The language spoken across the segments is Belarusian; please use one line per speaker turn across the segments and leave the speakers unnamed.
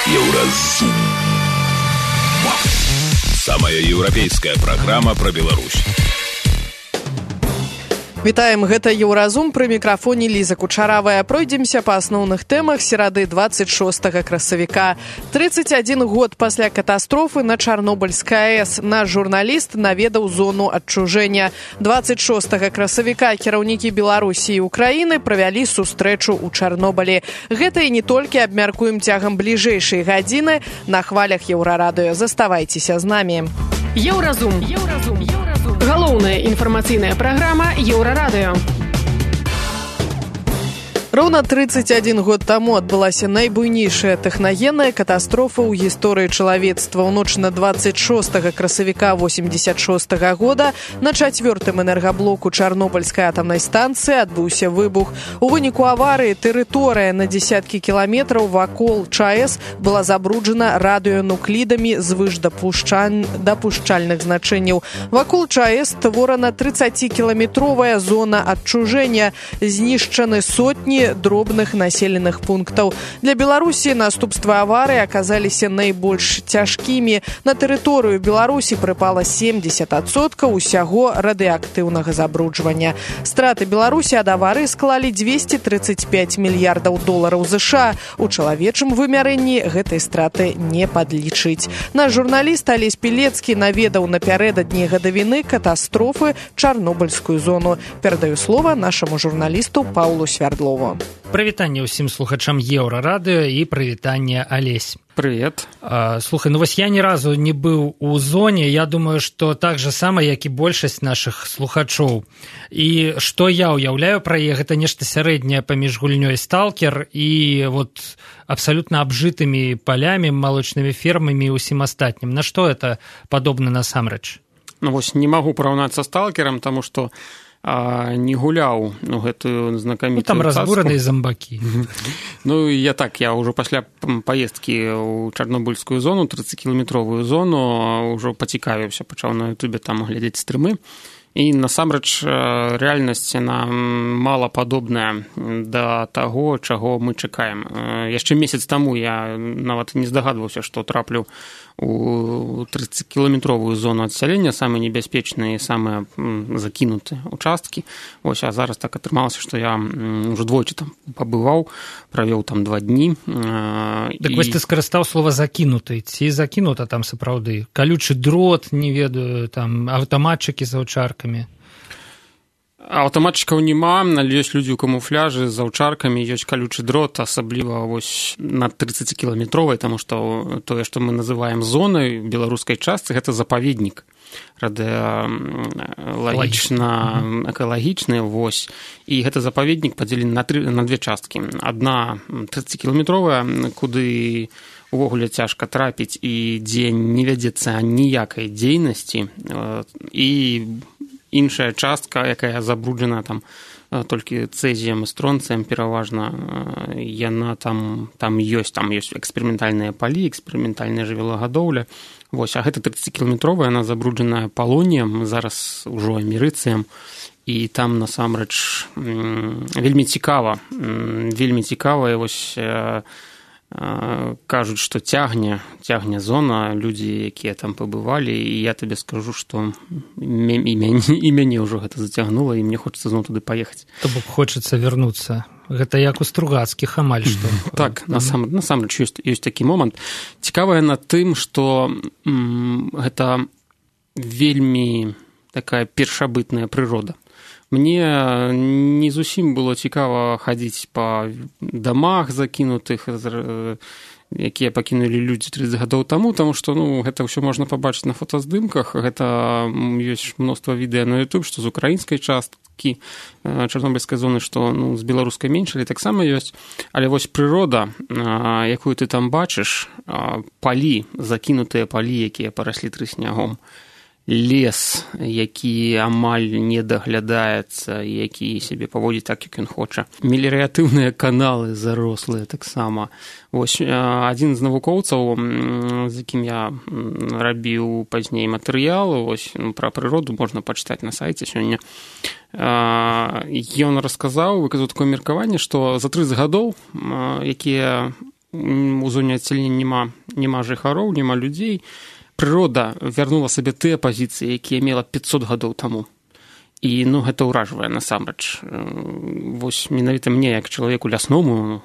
Еўразум. Самая еўрапейская праграма пра Беларусь.
Вітаем, гэта Еўразум, пры мікрафоне Ліза Кучаравая. Пройдземся па асноўных тэмах серады 26 красавіка. 31 год пасля катастрофы на Чарнобыльскай АЭС наш журналіст наведаў зону адчужэння. 26 красавіка кіраўнікі Беларусі і Украіны правялі сустрэчу ў Чарнобылі. Гэта і не толькі абмяркуем цягам бліжэйшай гадзіны на хвалях Еўрарадыё. Заставайцеся з намі.
Еўразум. Галоўная інфармацыйная праграма Еўрарадыё.
Роўна 31 год таму адбылася найбуйнейшая тэхнагенная катастрофа ў гісторыі чалавецтва. У ноч на 26 красавіка 86 года на 4-м энергаблоку Чарнобыльскай атамнай станцыі адбыўся выбух. У выніку аварыі тэрыторыя на дзесяткі кіламетраў вакол ЧАЭС была забруджана радыёнуклідамі звыш дапушчальных значэнняў. Вакол ЧАЭС створана 30-кіламетровая зона адчужэння. Знішчаны сотні дробных населеных пунктаў. Для Беларусі наступствы аварыі аказаліся найбольш цяжкімі. На тэрыторыю Беларусі прыпала 70% усяго радыеактыўнага забруджвання. Страты Беларусі ад аварыі склалі $235 мільярдаў США. У чалавечым вымярэнні гэтай страты не падлічыць. Наш журналіст Алесь Пілецкі наведаў напярэдадні гадавіны катастрофы Чарнобыльскую зону. Перадаю слова нашаму журналісту Паўлу Свярдлову.
Прывітанне ўсім слухачам Еўрарадыё і прывітанне, Алесь.
Привет.
Слухай, вось я ні разу не быў у зоне. Я думаю, што так же сама, як і большасць нашых слухачоў. І што я ўяўляю пра яе, гэта нешта сярэдняе паміж гульнёй «Сталкер» і вот абсалютна абжытымі палямі, малочнымі фермамі і ўсім астатнім. На што это падобна насамрэч?
Ну вось не магу параўнаць са «Сталкерам», таму што не гуляў гэтую знакамітую
там разбураныя зомбакі.
Ну я ўжо пасля паездкі ў Чарнобыльскую зону, 30-кіламетровую зону, ўжо пацікавіўся, пачаў на ютубе там глядзець стрымы. І насамрэч рэальнасць яна мала падобная да таго, чаго мы чакаем. Яшчэ месяц таму я нават не здагадваўся, што траплю у 30-кіламетровую зону адсялення, самыя небяспечныя і самыя закінутыя участкі. Вось, а зараз так атрымалася, што я ўжо двойчы там пабываў, правёў там 2 дні.
Так вось ты скарыстаў слова «закінуты». Ці закінута там сапраўды? Калючы дрот, не ведаю, там аўтаматчыкі з аўчаркамі.
Аўтаматчыкаў няма, але ёсць людзі ў камуфляжы з аўчаркамі, ёсць калючы дрот, асабліва вось на 30-кіламетровай, таму што тое, што мы называем зонай у беларускай частцы, гэта запаведнік радыёлагічна экалагічны, вось. І гэта запаведнік падзелены на 2 часткі. Адна 30-кіламетровая, куды увогуле цяжка трапіць і дзе не вядзецца ніякай дзейнасці, і іншая частка, якая забруджана там толькі цэзіем і стронцыем пераважна, яна там ёсць эксперыментальныя палі, эксперыментальная жывёлагадоўля. Вось, а гэта 30-кіламетровая, яна забруджаная палоніем, зараз ужо амерыцыем, і там насамрэч вельмі цікава, і вось кажуць, што цягне зона, людзі, якія там пабывалі, і я табе скажу, што і мяне ўжо гэта зацягнула, і мне хочацца зноў туды паехаць.
То бок хочацца вярнуцца. Гэта як у Стругацкіх амаль што.
Так, насамрэч ёсць такі момант. Цікавае на тым, што гэта вельмі такая першабытная прырода. Мне не зусім было цікава хадзіць па дамах закінутых, якія пакінулі людзі 30 гадоў таму, таму што гэта ўсё можна пабачыць на фотаздымках. Гэта ёсць мноства відэа на YouTube, што з украінскай часткі Чарнобыльскай зоны, што з беларускай менш, але таксама ёсць. Але вось прырода, якую ты там бачыш, палі, закінутыя палі, якія параслі трыснягом, лес, які амаль не даглядаецца, які сябе паводзіць так, як ён хоча. Меліяратыўныя каналы зарослыя таксама. Вось адзін з навукоўцаў, з якім я рабіў пазней матэрыял, вось пра прыроду можна пачытаць на сайце сёння. Ён расказаў, выказаў такое меркаванне, што за 30 гадоў, якія у зоне адсялення няма жыхароў, няма людзей. Прырода вярнула сабе тыя пазіцыі, якія мела 500 гадоў таму. І, гэта ўражвае насамрэч. Вось менавіта мне, як чалавеку лясному,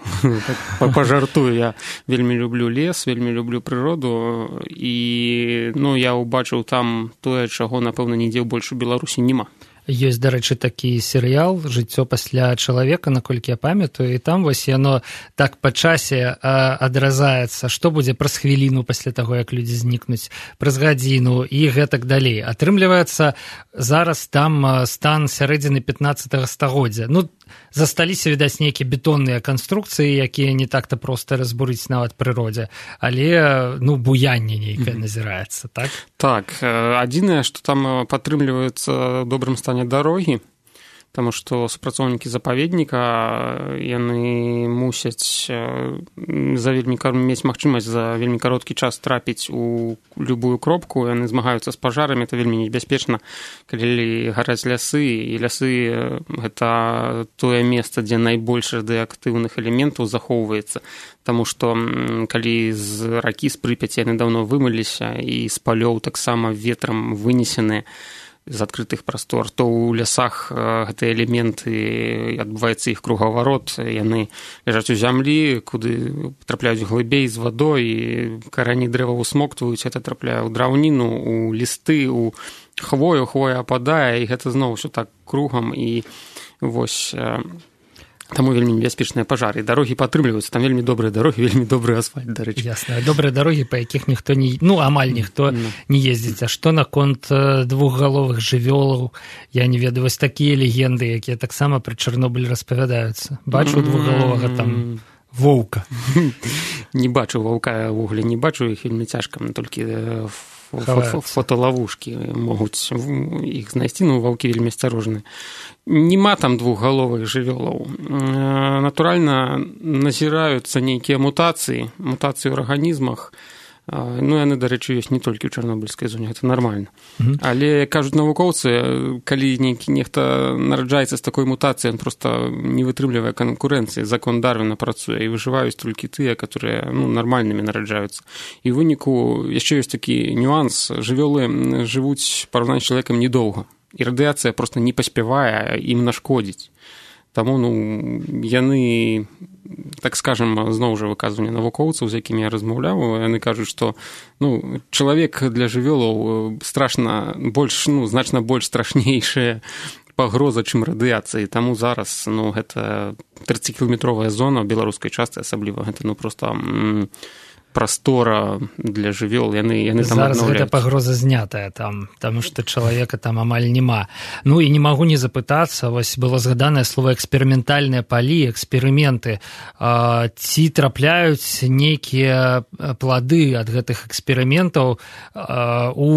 пажартую, я вельмі люблю лес, вельмі люблю прыроду, і, я ўбачыў там тое, чаго, напэўна, нідзе больш у Беларусі няма.
Ёсць, дарэчы, такі серыял «Жыццё пасля чалавека», наколькі я памятаю, і там вось яно так па часе адразаецца, што будзе праз хвіліну пасля таго, як людзі знікнуць, праз гадзіну і гэтак далей. Атрымліваецца, зараз там стан сярэдзіны 15-го стагоддзя. Засталіся, відаць, нейкія бетонныя канструкцыі, якія не так-то проста разбурыць нават прыродзе, але, буянне нейкае назіраецца, так?
Так, адзінае, што там падтрымліваюцца ў добрым стане дарогі, таму што супрацоўнікі запаведніка, яны мусяць мець магчымасць за вельмі кароткі час трапіць у любую кропку, яны змагаюцца з пажарамі, это вельмі небяспечна, калі гараць лясы, і лясы гэта тое месца, дзе найбольш радыеактыўных элементаў захоўваецца, таму што калі з ракі, з Прыпяці яны даўно вымыліся, і з палёў таксама ветрам вынесены з адкрытых прастор, то ў лясах гэтыя элементы, адбываецца іх кругаварот, яны ляжаць у зямлі, куды трапляюць глыбей з вадой, і карані дрэва усмоктваюць, гэта трапляе ў драўніну, у лісты, у хвою, хвоя ападае, і гэта зноў усё так кругам, і вось... Таму вельмі небяспечныя пажары. Дарогі падтрымліваюцца, там вельмі добрыя дарогі, вельмі добры асфальт, дарэчы.
Ясна. Добрыя дарогі, па якіх ніхто не... амаль ніхто не ездзіць. А што наконт двухгаловых жывёлаў? Я не ведаю, вось такія легенды, якія таксама пры Чарнобылі распавядаюцца. Бачу двухгаловага там воўка.
Не бачу ваўка, ўвогуле не бачу, іх вельмі цяжка, толькі фотолавушкі могуць іх знайсці, ваўкі вельмі асцярожныя. Нема там двухгаловых жывёлаў. Натуральна, назіраюцца нейкія мутацыі ў арганізмах. Яны, дарэчы, ёсць не толькі ў Чарнобыльскай зоне, гэта нармальна. Але, кажуць навукоўцы, калі нехта нараджаецца з такой мутацыяй, ён проста не вытрымлівае канкурэнцыі, закон Дарвіна працуе, і выжываюць толькі тыя, которые нармальнымі нараджаюцца. І ў выніку яшчэ ёсць такі нюанс, жывёлы жывуць параўнанні з чалавекам недоўга. І радыяцыя проста не паспявае ім нашкодзіць. Таму, яны, так скажам, зноў жа выказванне навукоўцаў, з якімі я размаўляў, яны кажуць, што, чалавек для жывёлаў значна больш страшнейшая пагроза, чым радыяцыі. Таму зараз, гэта 30-кіламетровая зона ў беларускай частцы, асабліва, гэта, проста... прастора для жывёл, яны там
зараз гэта пагроза знятая там, таму што чалавека там амаль няма. І не магу не запытацца, вось было згаданае слово эксперыментальныя палі, эксперыменты. Ці трапляюць нейкія плады ад гэтых эксперыментаў у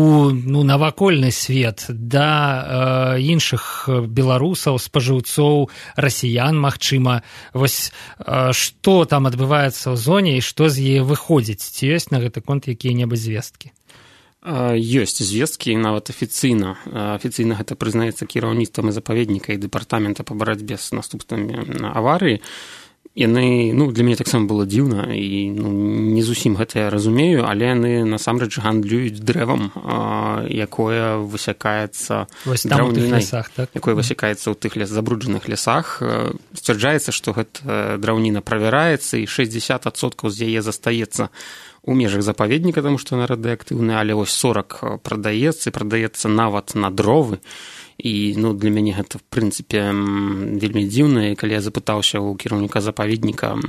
навакольны свет да іншых беларусаў, спажыўцоў, расіян, магчыма. Вось што там адбываецца ў зоне і што з яе выходзіць? Ці ёсць на гэты конт якія-небудзь звесткі?
Ёсць звесткі, нават афіцыйна. Афіцыйна гэта прызнаецца кіраўніцтвам і запаведніка і дэпартамента па барацьбе з наступствамі аварыі. Яны, для мяне таксама было дзіўна, і не зусім гэта я разумею, але яны насамрэч гандлююць дрэвам, якое высякаецца драўнінай, якое высякаецца ў тых забруджаных лясах. Сцвярджаецца, што гэта драўніна правяраецца, і 60% з яе застаецца у межах запаведніка, таму што яна радыеактыўная, але вось 40 прадаецца нават на дровы. І для мяне гэта, в прынцыпе, вельмі дзіўна. І калі я запытаўся ў кіраўніка запаведніка,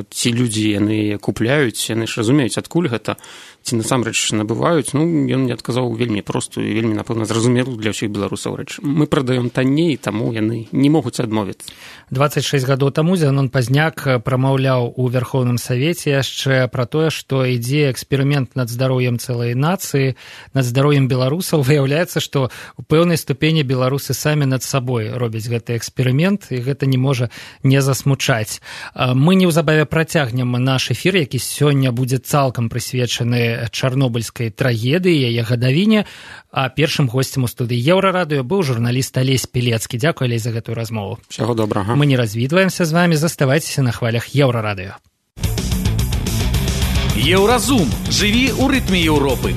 ці людзі яны купляюць, яны ж разумеюць, адкуль гэта, ці насамрэч набываюць, ён мне адказаў вельмі простую і вельмі, напэўна, зразумелую для ўсіх беларусаў рэч. Мы прадаём танней, таму яны не могуць адмовіцца.
26 гадоў таму Зянон Пазняк прамаўляў у Верхоўным Савеце яшчэ пра тое, што ідзе эксперымент над здароўем цэлай нацыі, над здароўем беларусаў. Выяўляецца, што у пэўнай ступені беларусы самі над сабой робяць гэты эксперымент, і гэта не можа не засмучаць. Мы неўзабаве працягнем наш эфір, які сёння будзе цалкам прысвечаны чарнобыльскай трагедыі, яе гадавіне. А першым госцем у студыі Еўрарадыё быў журналіст Алесь Пілецкі. Дзякуй, Алесь, за гэтую размову.
Усяго добрага.
Мы не развітваемся з вамі, заставайцеся на хвалях Еўрарадыё.
Еўразум. Жыві ў рытме Еўропы.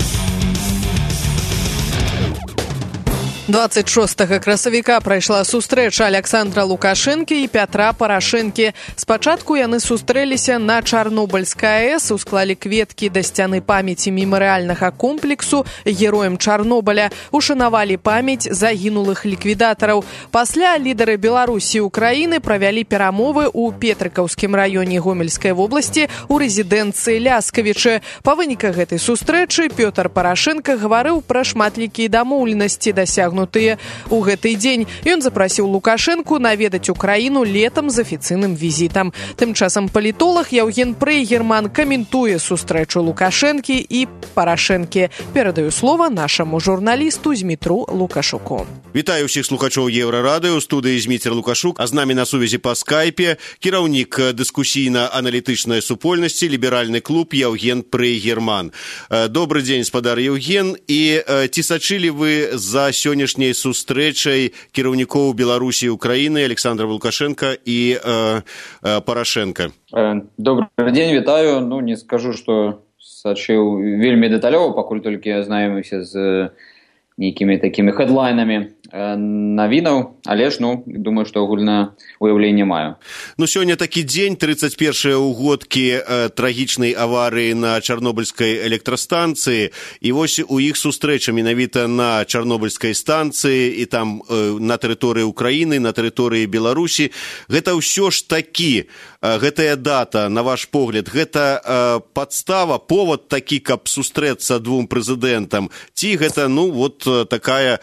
26 красавіка прайшла сустрэча Александра Лукашэнкі і Пятра Парашэнкі. Спачатку яны сустрэліся на Чарнобыльскай АЭС, усклалі кветкі да сцяны памяці мемарыяльнага комплексу героям Чарнобыля, ушанавалі памяць загінулых ліквідатараў. Пасля лідары Беларусі і Украіны правялі перамовы ў Петрыкаўскім раёне Гомельскай вобласці ў рэзідэнцыі Ляскавічы. Па выніках гэтай сустрэчы Пётр Парашэнка гаварыў пра шматлікія дамоўленасці дасягнутыя у гэты дзень. Ён запрасіў Лукашэнку наведаць Украіну летам з афіцыйным візітам. Тым часам палітолог Яўген Прейгерман каментуе сустрэчу Лукашэнкі і Парашэнкі. Перадаю слова нашаму журналісту Змітру Лукашуку.
Вітаю ўсіх слухачоў Еўрарадыё, у студыі Зміцер Лукашук, а з намі на сувязі па скайпе кіраўнік дыскусійна-аналітычнай супольнасці ліберальны клуб Яўген Прейгерман. Добры дзень, спадар Яўген, і ці сачылі вы за сённяшняй сустрэчай кіраўнікоў Беларусі і Украіны Александра Лукашенка і Парашенка?
Добрый дзень, вітаю. Не скажу, што сачыў вельмі дэталёва, пакуль толькі азнаёміўся з нейкімі такімі хэдлайнамі навінаў, але ж, думаю, што агульнае уяўленне маю.
Сёння такі дзень, 31 ўгодкі трагічнай аварыі на Чарнобыльскай электрастанцыі, і вось у іх сустрэча менавіта на Чарнобыльскай станцыі і там на тэрыторыі Украіны, на тэрыторыі Беларусі. Гэта ўсё ж такі, гэтая дата, на ваш погляд, гэта падстава, повод такі, каб сустрэцца двум прэзідэнтам, ці гэта, такая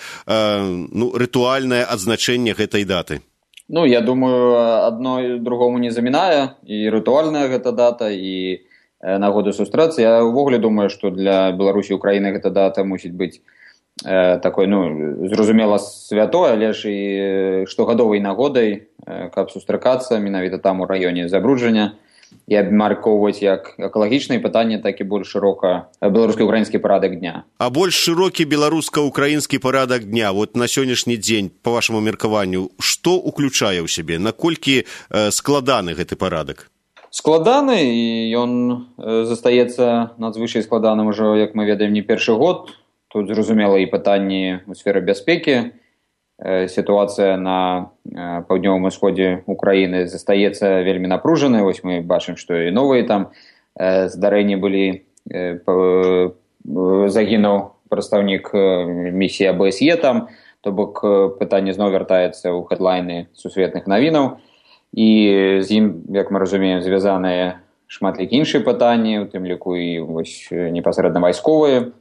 рытуальнае адзначэнне гэтай даты?
Я думаю, адно другому не замінае, і рытуальная гэта дата, і нагода сустрэцца. Я ўвогуле думаю, што для Беларусі і Украіны гэта дата мусіць быць такой, зразумела, святой, але ж і штогадовай нагодай, каб сустракацца менавіта там у раёне забруджання і абмяркоўваць як экалагічныя пытанні, так і больш шырока беларуска-украінскі парадак дня.
А больш шырокі беларуска-украінскі парадак дня, на сённяшні дзень, па вашаму меркаванню, што уключае ў сябе? Наколькі складаны гэты парадак?
Складаны, і ён застаецца надзвычай складаным ужо, як мы ведаем, не першы год. Тут, зразумела, і пытанні ў сферы бяспекі. Сітуацыя на паўднёвым усходзе Украіны застаецца вельмі напружанай. Вось мы бачым, што і новыя там здарэнні былі. Загінуў прадстаўнік місіі АБСЕ там, то бок пытанне зноў вяртаецца ў хэдлайны сусветных навінаў. І з ім, як мы разумеем, звязаныя шматлікія іншыя пытанні, у тым ліку і непасрэдна вайсковыя,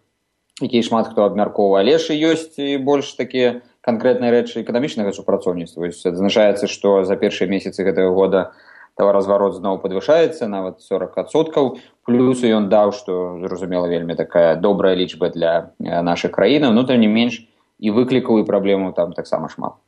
якія шмат хто абмяркоўвае, але ж ёсць і больш такія канкрэтныя рэчы эканамічнага супрацоўніцтва. Адзначаецца, што за першыя месяцы гэтага года таваразварот зноў падвышаецца, нават 40%. Плюс ён даў, што, зразумела, вельмі такая добрая лічба для нашай краіны, тым не менш і выклікаў і праблемаў там таксама шмат.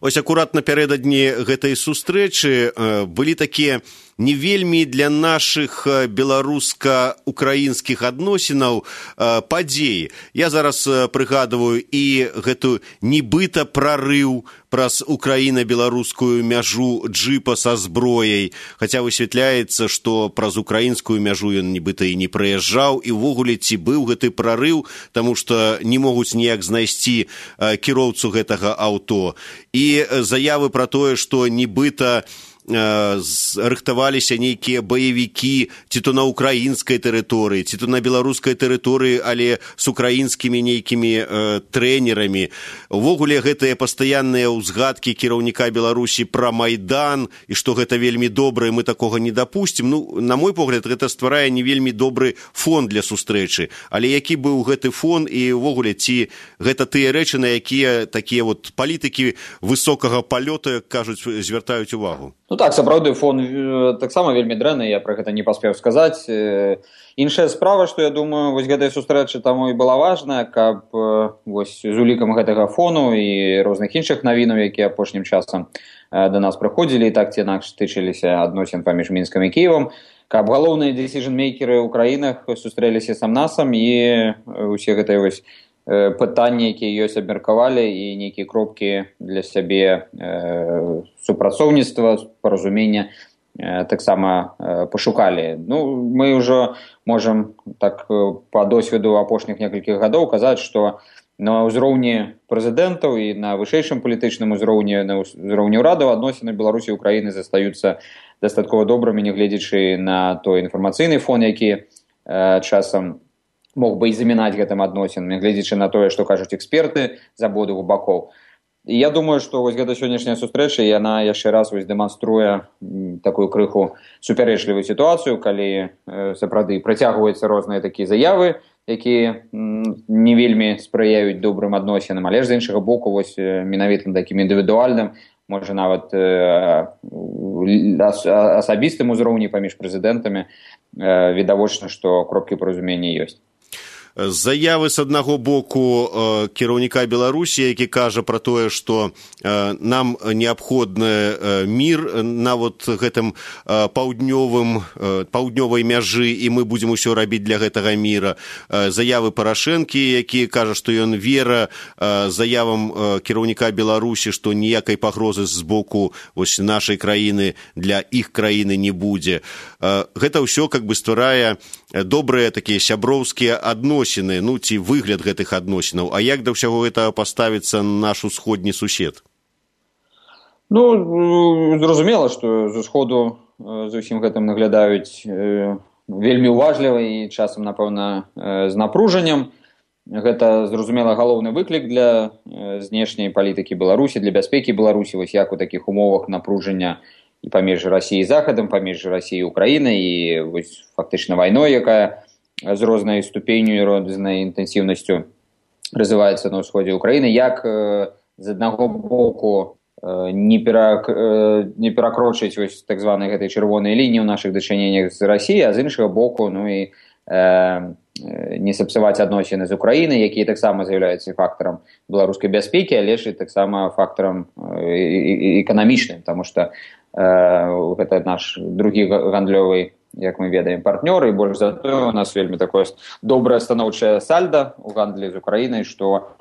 Ось акурат напярэдадні гэтай сустрэчы былі такія не вельмі для нашых беларуска-украінскіх адносінаў падзеі. Я зараз прыгадываю і гэту нібыта прарыў праз украіна-беларускую мяжу джыпа са зброяй, хаця высвятляецца, што праз украінскую мяжу ён нібыта і не прыязджаў, і ўвогуле ці быў гэты прарыў, таму што не могуць ніяк знайсці кіроўцу гэтага аўто. І заявы пра тое, што нібыта рыхтаваліся нейкія баевікі ці то на украінскай тэрыторыі, ці то на беларускай тэрыторыі, але з украінскімі нейкімі трэнерамі. Увогуле гэтыя пастаянныя ўзгадкі кіраўніка Беларусі пра Майдан і што гэта вельмі добра, і мы такога не дапусцім. На мой погляд, гэта стварае не вельмі добры фон для сустрэчы. Але які быў гэты фон і увогуле ці гэта тыя рэчы, на якія такія палітыкі высокага палёту, як кажуць, звяртаюць увагу?
Так, сапраўды, фон таксама вельмі дрэнны, я пра гэта не паспеў сказаць. Іншая справа, што я думаю, вось гэтая сустрэча таму і была важная, каб вось з улікам гэтага фону і розных іншых навінаў, якія апошнім часам да нас прыходзілі і так ці інакш тычыліся адносін паміж Мінскам і Кіевам, каб галоўныя дзесіжн-мейкеры ў краінах сустрэліся сам-насам і усе гэтыя вось пытанні, якія ёсць, абмеркавалі і нейкія кропкі для сябе супрацоўніцтва, паразумення таксама пашукалі. Ну, мы ўжо можам так па досведу апошніх некалькіх гадоў казаць, што на ўзроўні прэзідэнтаў і на вышэйшым палітычным узроўні, на ўзроўні ўрадаў адносіны Беларусі і Украіны застаюцца дастаткова добрымі, нягледзячы на той інфармацыйны фон, які часам мог бы і замінаць гэтым адносінам, нягледзячы на тое, што кажуць эксперты з абодвух бакоў. І я думаю, што вось гэта сённяшняя сустрэча, яна яшчэ раз вось дэманструе такую крыху супярэчлівую сітуацыю, калі сапраўды працягваюцца розныя такія заявы, якія не вельмі спрыяюць добрым адносінам, але ж з іншага боку вось менавіта такім індывідуальным, можа нават асабістым узроўні паміж прэзідэнтамі відавочна, што кропкі паразумення ёсць.
Заявы з аднаго боку кіраўніка Беларусі, які кажа пра тое, што нам неабходны мір на вот гэтым паўднёвай мяжы, і мы будзем усё рабіць для гэтага міра. Заявы Парашэнкі, які кажа, што ён вера заявам кіраўніка Беларусі, што ніякай пагрозы з боку вось нашай краіны для іх краіны не будзе. Гэта ўсё как бы стварае добрыя такія сяброўскія адносіны, ну ці выгляд гэтых адносінаў. А як да ўсяго гэтага паставіцца наш усходні сусед?
Ну, зразумела, што з усходу з усім гэтым наглядаюць вельмі уважліва і часам, напэўна, з напружаннем. Гэта, зразумела, галоўны выклік для знешняй палітыкі Беларусі, для бяспекі Беларусі, вось як у такіх умовах напружання і паміж Расіяй і Захадам, паміж Расіяй і Украінай, і вось фактычна вайной, якая з рознай ступенню і рознай інтэнсіўнасцю развіваецца на ўсходзе Украіны, як з аднаго боку не перакрочыць вось так званай гэтай чырвонай лініі ў нашых дачыненнях з Расіяй, а з іншага боку, ну і не сапсаваць адносіны з Украінай, якія таксама з'яўляюцца фактарам беларускай бяспекі, але ж і таксама фактарам эканамічным, таму што гэта наш другі гандлёвы, як мы ведаем, партнёр, і больш за тое у нас вельмі такое добрае станоўчае сальда ў гандлі з Украінай, што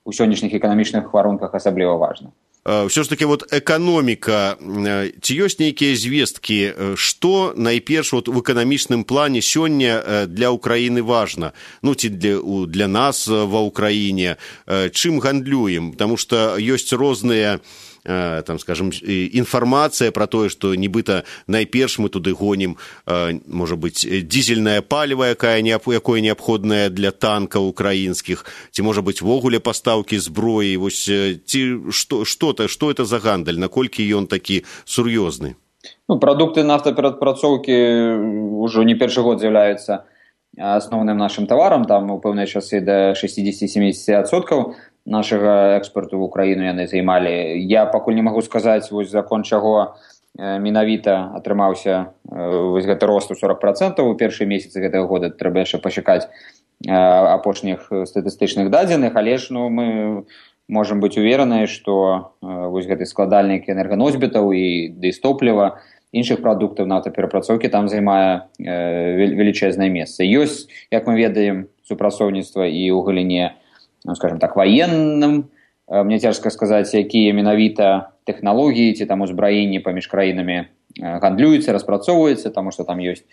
ў сённяшніх эканамічных варунках асабліва важна.
Все ж таки вот эканоміка, ці ёсць нейкія звесткі, што найперш вот в эканамічным плане сёння для Украіны важна, ну ці для нас ва Украіне, чым гандлюем, потому что ёсць розныя там, скажем, інфармацыя пра тое, што нібыта найперш мы туды гонім, можа быць, дизельнае паліва, якое неабходнае для танкаў украінскіх, ці можа быць вогуле пастаўкі зброі, вось ці што это за гандаль, наколькі ён такі сур'ёзны?
Ну, прадукты нафтаперапрацоўкі ўжо не першы год з'яўляюцца асноўным нашым таварам, там у пэўныя часы да 60-70% нашага экспорту в Украіну яны займалі. Я пакуль не магу сказаць, вось закон чаго менавіта атрымаўся вось гэты рост у 40% у першыя месяцы гэтага года. Трэба яшчэ пачакаць апошніх статыстычных дадзеных, але ж ну, мы можам быць увереныя, што вось гэты складальнік энерганосьбітаў і дыстопліва, іншых прадуктаў нафтаперапрацоўкі там займае велічэзнае месца. Ёсць, як мы ведаем, супрацоўніцтва і ў галіне, ну, скажем так, военным. Мне цяжка сказаць, якія менавіта тэхналогіі ці там узбраенні паміж краінамі гандлююцца, распрацоўваюцца, таму што там ёсць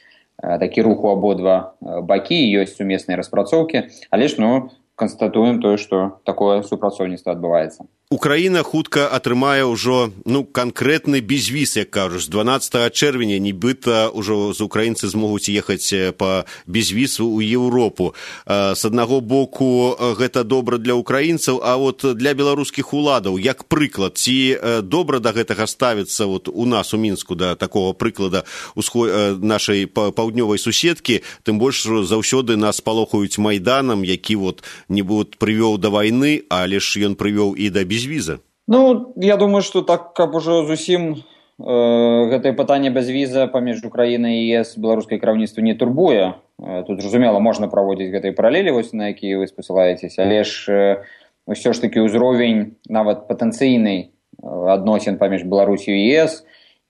такі рух у абодва бакі, ёсць сумесныя распрацоўкі, але ж, ну, канстатуем тое, што такое супрацоўніцтва адбываецца.
Украіна хутка атрымае ўжо канкрэтны безвіз, як кажуць. З 12 чэрвеня нібыта ўжо з украінцы змогуць ехаць па безвіз у Еўропу. З аднаго боку гэта добра для украінцаў, а вот для беларускіх уладаў, як прыклад, ці добра да гэтага ставіцца вот у нас у Мінску, да такого прыклада нашай паўднёвай суседкі, тым больш заўсёды нас палохаюць Майданам, які вот не прывёў да вайны, але ж ён прывёў і да безвіза.
Ну, я думаю, што так, каб ужо зусім гэтае пытанне бязвіза паміж Украінай і ЕС беларускае кіраўніцтва не турбуе. Тут, зразумела, можна праводзіць гэтай паралелі, вось на якія вы спасылаецеся, але ж ўсё ж такі ўзровень нават патэнцыйнай адносін паміж Беларусю і ЕС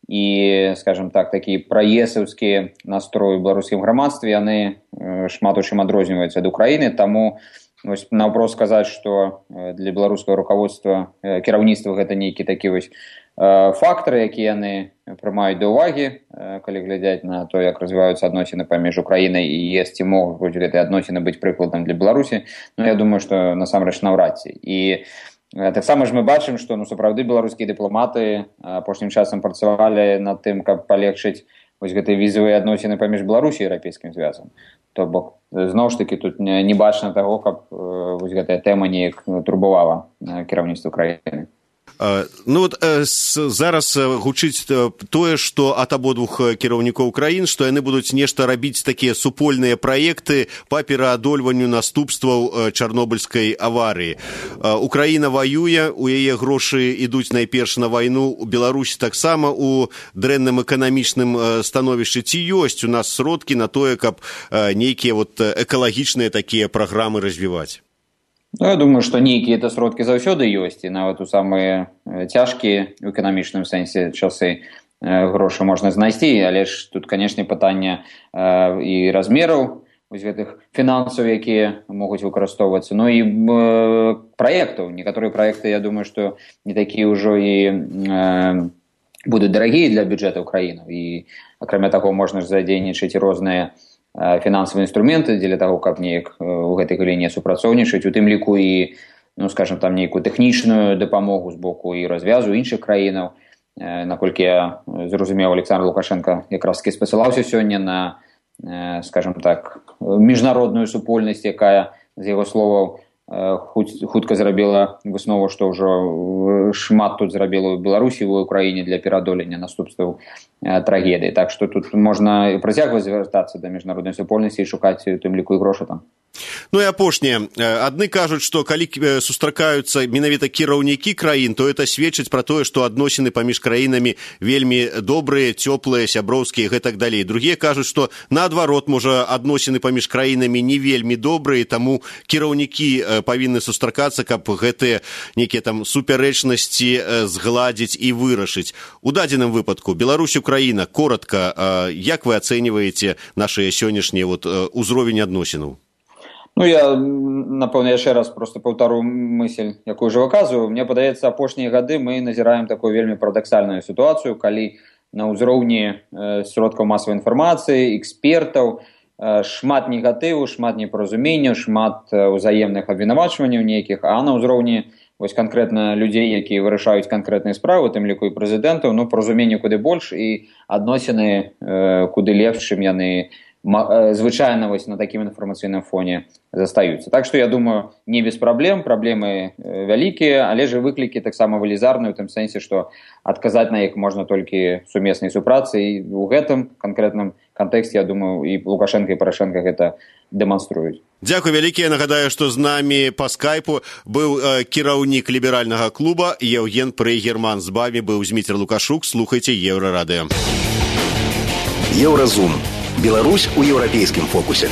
і, скажем так, такі праесаўскія настроі ў беларускім грамадстве, яны шмат у чым адрозніваюцца ад Украіны, таму вось наўпрост сказаць, што для беларускага руководства, кіраўніцтва гэта нейкі такі вось фактары, якія яны прымаюць да ўвагі, калі глядзяць на то, як развіваюцца адносіны паміж Украінай і ЕС, ці могуць гэтыя адносіны быць прыкладам для Беларусі, я думаю, што насамрэч наўрад ці. І таксама ж мы бачым, што сапраўды беларускія дыпламаты апошнім часам працавалі над тым, каб палегчыць вось гэтыя візавыя адносіны паміж Беларусі і Еўрапейскім звязам. То бок, зноў ж такі, тут не бачна таго, каб вось гэтая тэма неяк турбавала кіраўніцтва краіны.
Зараз гучыць тое, што ад абодвух кіраўнікоў краін, што яны будуць нешта рабіць такія супольныя праекты па пераадольванню наступстваў чарнобыльскай аварыі. Украіна ваюе, у яе грошы ідуць найперш на вайну, Беларусь таксама у дрэнным эканамічным становішчы. Ці ёсць у нас сродкі на тое, каб нейкія экалагічныя такія праграмы развіваць?
Я думаю, што нейкія это сродкі заўсёды ёсць, і нават у самыя цяжкія ў эканамічным сэнсе часы грошы можна знайсці, але ж тут, канешне, пытанне і размераў вось гэтых фінансаў, якія могуць выкарыстоўвацца, і праектаў. Некаторыя праекты, я думаю, што не такія ўжо і будуць дарагія для бюджэта ўкраіны. І, акрамя таго, можна ж задзейнічаць розныя фінансавыя інструменты дзеля таго, каб неяк у гэтай галіне супрацоўнічаць, у тым ліку і, скажам, там нейкую тэхнічную дапамогу з боку і развязу іншых краінаў. Наколькі я зразумеў, Александр Лукашенко якраз-такі спасылаўся сёння на, скажам так, міжнародную супольнасць, якая, з яго словаў, хутка зрабіла выснову, што ўжо шмат тут зрабіла ў Беларусі, ў Украіне для пераадолення наступстваў трагедыі. Так што тут можна працягваць звяртацца да міжнароднай супольнасці і шукаць у тым ліку і грошы там.
І апошняе. Адны кажуць, што калі сустракаюцца менавіта кіраўнікі краін, то это сведчыць пра тое, што адносіны паміж краінамі вельмі добрыя, цёплыя, сяброўскія і гэтак далей. Другія кажуць, што наадварот, можа, адносіны паміж краінамі не вельмі добрыя, таму кіраўнікі павінны сустракацца, каб гэтыя нейкія там супярэчнасці згладзіць і вырашыць. У дадзеным выпадку Беларусь, Украіна, коротка, як вы ацэньваеце нашыя сённяшнія ўзровень адносінаў?
Я, напэўна, яшчэ раз просто паўтару мысль, якую ўжо выказваю. Мне падаецца, апошнія гады мы назіраем такую вельмі парадаксальную сітуацыю, калі на ўзроўні сродкаў масавай інфармацыі, экспертаў, шмат негатыву, шмат непаразуменняў, шмат узаемных абвінавачванняў нейкіх, а на ўзроўні вось канкрэтна людзей, якія вырашаюць канкрэтныя справы, у тым ліку і прэзідэнтаў, паразуменняў куды больш і адносіны куды лепш, чым яны звычайна вось на такім інфармацыйным фоне застаюцца. Так што, я думаю, не без праблем, праблемы вялікія, але ж выклікі таксама велізарныя, у тым сэнсе, што адказаць на іх можна толькі сумеснай супрацы, і ў гэтым канкрэтным кантэксце, я думаю, і Лукашенко, і Парашенко гэта дэманструюць.
Дзякуй вялікі. Я нагадаю, што з намі па скайпу быў кіраўнік ліберальнага клуба Еўген Прыгерман. З вамі быў Зміцер Лукашук. Слухайце Еўрарадыё.
Еўразум. Беларусь у еўрапейскім фокусе.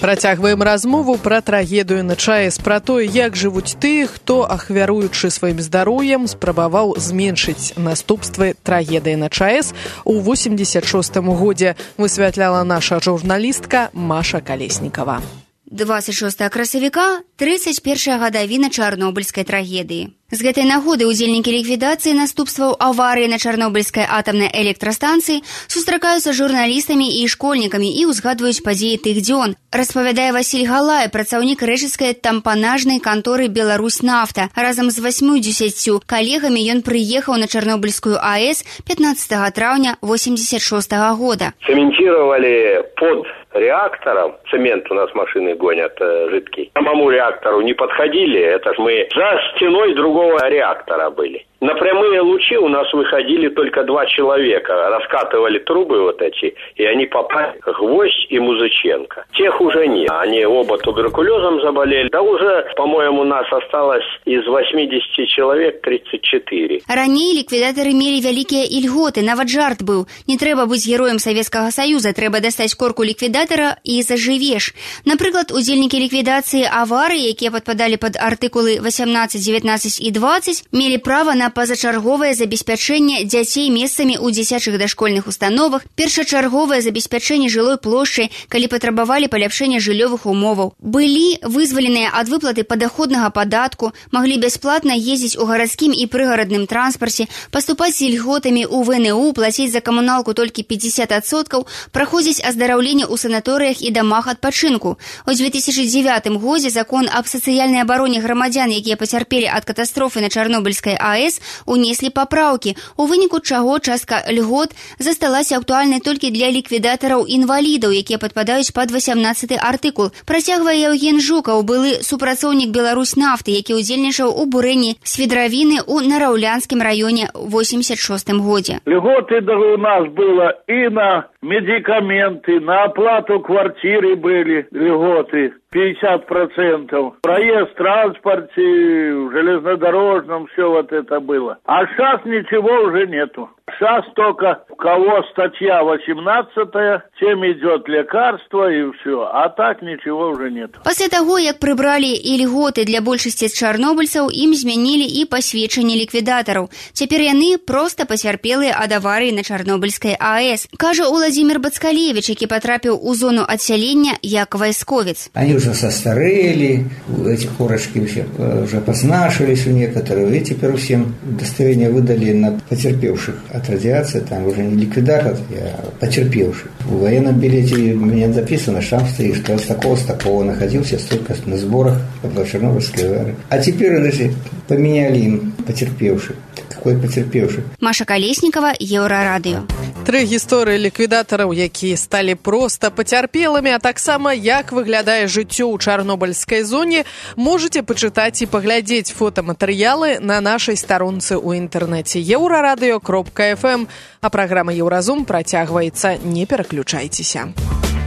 Працягваем размову пра трагедыю на ЧАЭС, пра тое, як жывуць тыя, хто, ахвяруючы сваім здароўем, спрабаваў зменшыць наступствы трагедыі на ЧАЭС у 86-м годзе, высвятляла наша журналістка Маша Калеснікава.
26 красавіка, 31 гадавіна чарнобыльскай трагедыі. З гэтай нагоды ўдзельнікі ліквідацыі наступстваў аварыі на чарнобыльскай атамнай электрастанцыі сустракаюцца з журналістамі і школьнікамі і ўзгадваюць падзеі тых дзён. Распавядае Васіль Галай, працаўнік рэчыцкай тампанажнай канторы «Беларусь-Нафта». Разам з 80 калегамі ён прыехаў на Чарнобыльскую АЭС 15 траўня 86 года.
Цементировали под реактором, цемент у нас машины гонят жидкий. К самому реактору не подходили, это ж мы за стеной другого реактора были. На прямые лучи у нас выходили только 2 человека, раскатывали трубы вот эти, и они попали, Гвоздь и Музыченко. Тех уже нет, они оба туберкулезом заболели. Да уже, по-моему, нас осталось из 80 человек 34.
Раней ліквідатары мелі вялікія ільготы, нават жарт быў. Не трэба быць героем Савецкага Саюза, трэба дастаць корку ліквідатара і зажывеш. Напрыклад, удзельнікі ліквідацыі аварыі, якія падпадалі пад артыкулы 18, 19 і 20, мелі права на на пазачарговае забеспячэнне дзяцей месцамі ў дзіцячых дашкольных установах, першачарговае забеспячэнне жылой плошчай, калі патрабавалі паляпшэння жыллёвых умоваў. Былі вызваленыя ад выплаты падаходнага падатку, маглі бясплатна ездзіць у гарадскім і прыгарадным транспарце, паступаць з ільготамі ў ВНУ, плаціць за камуналку толькі 50%, праходзіць аздараўленне ў санаторыях і дамах адпачынку. У 2009 годзе закон аб сацыяльнай абароне грамадзян, якія пацярпелі ад катастрофы на Чарнобыльскай АЭС, унеслі папраўкі, у выніку чаго частка льгот засталася актуальнай толькі для ліквідатараў-інвалідаў, якія падпадаюць пад 18 артыкул. Працягвае Евген Жукаў, былы супрацоўнік Беларусьнафты, які ўдзельнічаў у бурэнні свідравіны ў Нараўлянскім раёне ў 86 годзе.
Льготы у нас было и на медикаменты, на оплату квартиры были льготы 50%. Проезд в транспорте, в железнодорожном, все вот это было. А сейчас ничего уже нету. Сейчас только у кого статья 18, тем идет лекарство и все. А так ничего уже нет.
После того, як прыбрали и льготы для большасці чарнобыльцаў, ім змянілі і пасведчанне ліквідатараў. Цяпер яны проста пацярпелыя ад аварыі на Чарнобыльскай АЭС, кажа Владимир Бацкалевич, які потрапіў у зону адсялення як вайсковец.
Они уже состарели, эти корочки уже познашились у некоторых, и теперь всем удостоверение выдали на потерпевших от радиации, там уже не ликвидатор, а потерпевший. В военном билете у меня записано, штамп стоит, что я с такого находился столько на сборах по Чернобыльской аварии. А теперь даже поменяли им потерпевших. Какой потерпевший?
Маша Колесникова, Еўрарадыё.
3 гісторыі ліквідатараў, якія сталі проста пацярпелымі, а таксама як выглядае жыццё ў чарнобыльскай зоне, можаце пачытаць і паглядзець фотаматэрыялы на нашай старонцы ў інтэрнэце euraradыё.fm. А праграма Еўразум працягваецца, не пераключайцеся.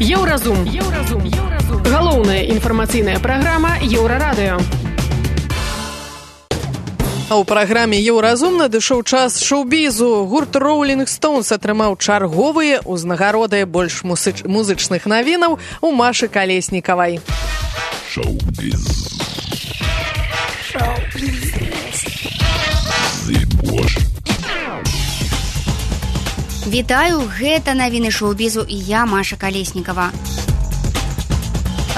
Еўразум. Галоўная інфармацыйная праграма Еўрарадыё.
А ў праграме «Еўразум» надышоў час шоу-бізу. Гурт Rolling Stones атрымаў чарговыя ўзнагароды больш музычных навінаў у Машы Калеснікавай.
Шоу-біз.
Вітаю, гэта навіны шоу-бізу і я, Маша Калеснікава.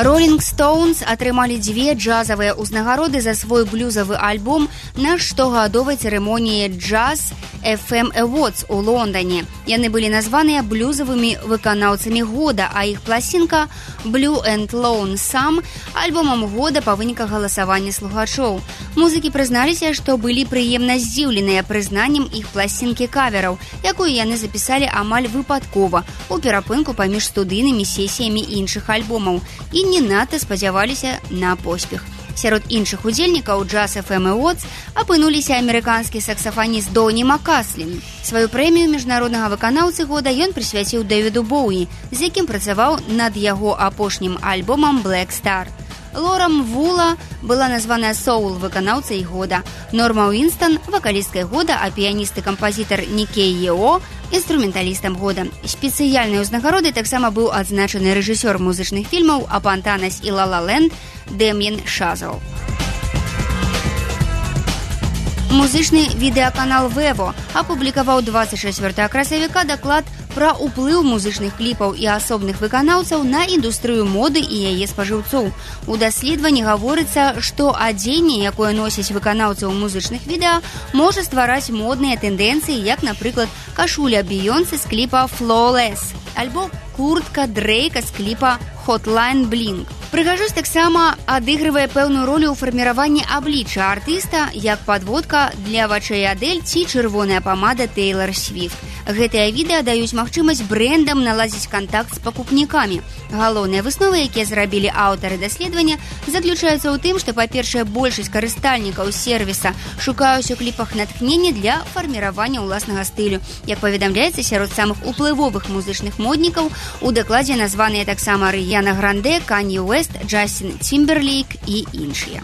Rolling Stones атрымалі 2 джазавыя ўзнагароды за свой блюзавы альбом на штогадовай цырымоніі Jazz FM Awards у Лондоне. Яны былі названыя блюзавымі выканаўцамі года, а іх пласінка Blue and Lonesome альбомам года па выніках галасавання слухачоў. Музыкі прызналіся, што былі прыемна здзіўленыя прызнаннем іх пласінкі кавераў, якую яны запісалі амаль выпадкова у перапынку паміж студыйнымі сесіямі іншых альбомаў і не надта спадзяваліся на поспех. Сярод іншых удзельнікаў Jazz FM Awards апынуліся амерыканскі саксафаніст Доні Макаслін. Сваю прэмію міжнароднага выканаўцы года ён прысвяціў Дэвіду Боуі, з якім працаваў над яго апошнім альбомам Black Star. Лорам Вула была названая соул выканаўцай года, Норма Уинстон вакалісткай года, а піяніст і кампазітар Никей Ео інструменталістам года. Спецыяльнай узнагародай таксама быў адзначаны рэжысёр музычных фільмаў «Апантанас» і «Ла Ла Ленд» Дэм'ен Шазел. Музычны відэаканал Vevo апублікаваў 24 красавіка даклад пра ўплыў музычных кліпаў і асобных выканаўцаў на індустрыю моды і яе спажыўцоў. У даследаванні гаворыцца, што адзенне, якое носяць выканаўцы ў музычных відэа, можа ствараць модныя тэндэнцыі, як, напрыклад, кашуля Бейонсе з кліпа «Flawless» альбо куртка Дрейка з кліпа «Hotline Bling». Прыгажосць таксама адыгрывае пэўную ролю ў фарміраванні аблічча артыста, як падводка для вачэй Адель ці чырвоная памада Тейлор Свіфт. Гэтыя відэа даюць магчымасць брэндам наладзіць кантакт з пакупнікамі. Галоўныя высновы, якія зрабілі аўтары даследавання, заключаюцца ў тым, што, па-першае, большасць карыстальнікаў сервіса шукаюць у кліпах натхнення для фарміравання ўласнага стылю. Як паведамляецца, сярод самых уплывовых музычных моднікаў у дакладзе названыя таксама Рыяна Гранде, Канье Уэст, Джастин Тимберлейк і іншыя.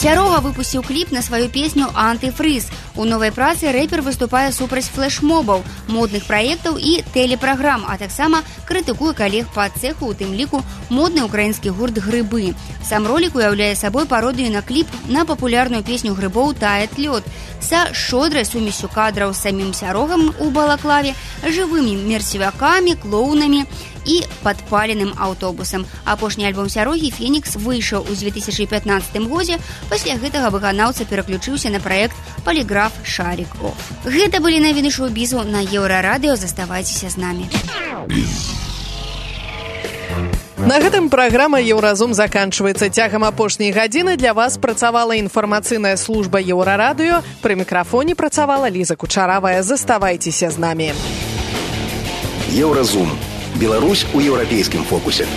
Сярога выпусціў кліп на сваю песню «Антыфрыз». У новай працы рэпер выступае супраць флэшмобаў, модных праектаў і тэлепраграм, а таксама крытыкуе калег па цэху, у тым ліку модны ўкраінскі гурт «Грыбы». Сам ролік уяўляе сабой пародыю на кліп на папулярную песню «Грыбоў «Тает лёд» са шодрай сумесю кадраў з самім Сярогам у балаклаве, жывымі мерцевякамі, клоунамі і падпаленым аўтобусам. Апошні альбом Сярогі «Фенікс» выйшаў у 2015 годзе. Пасля гэтага выканаўца пераключыўся на праект «Поліграф Шарик Офф». Гэта былі навіны шоу-бізу на Еўрарадыё. Заставайцеся з намі.
На гэтым праграма «Еўразум» заканчваецца. Цягам апошняй гадзіны для вас працавала інфармацыйная служба Еўрарадыё. Пры мікрафоне працавала Ліза Кучаравая. Заставайцеся з намі.
Еўразум. Беларусь у еўрапейскім фокусе.